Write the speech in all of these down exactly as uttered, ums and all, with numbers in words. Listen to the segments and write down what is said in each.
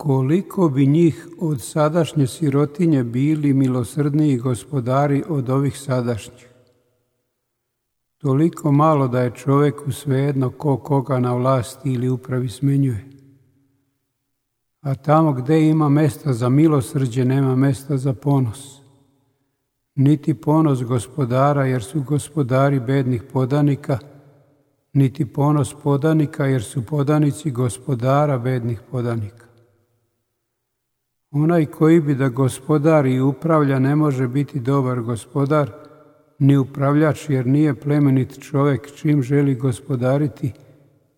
koliko bi njih od sadašnje sirotinje bili milosrdniji gospodari od ovih sadašnjih. Toliko malo da je čovjeku svejedno ko koga na vlasti ili upravi smenjuje. A tamo gdje ima mesta za milosrđe, nema mesta za ponos. Niti ponos gospodara, jer su gospodari bednih podanika, niti ponos podanika, jer su podanici gospodara bednih podanika. Onaj koji bi da gospodari i upravlja ne može biti dobar gospodar, ni upravljač, jer nije plemenit čovjek čim želi gospodariti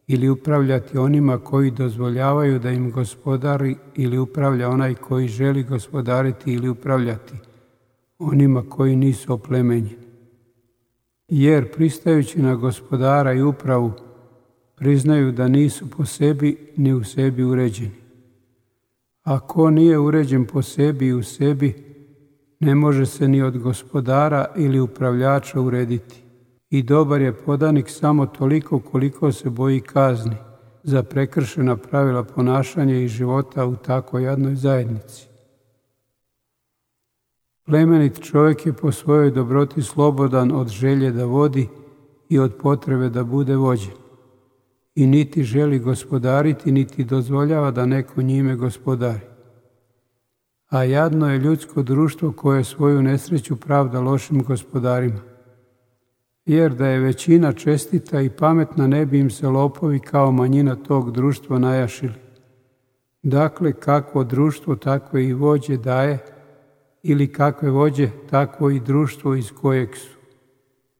ili upravljati onima koji dozvoljavaju da im gospodari ili upravlja onaj koji želi gospodariti ili upravljati onima koji nisu oplemenjeni. Jer pristajući na gospodara i upravu priznaju da nisu po sebi ni u sebi uređeni. A ko nije uređen po sebi i u sebi, ne može se ni od gospodara ili upravljača urediti. I dobar je podanik samo toliko koliko se boji kazni za prekršena pravila ponašanja i života u tako jadnoj zajednici. Plemenit čovjek je po svojoj dobroti slobodan od želje da vodi i od potrebe da bude vođen. I niti želi gospodariti, niti dozvoljava da neko njime gospodari. A jadno je ljudsko društvo koje svoju nesreću pravda lošim gospodarima. Jer da je većina čestita i pametna, ne bi im se lopovi kao manjina tog društva najašili. Dakle, kakvo društvo, takve i vođe daje, ili kakve vođe, takvo i društvo iz kojeg su.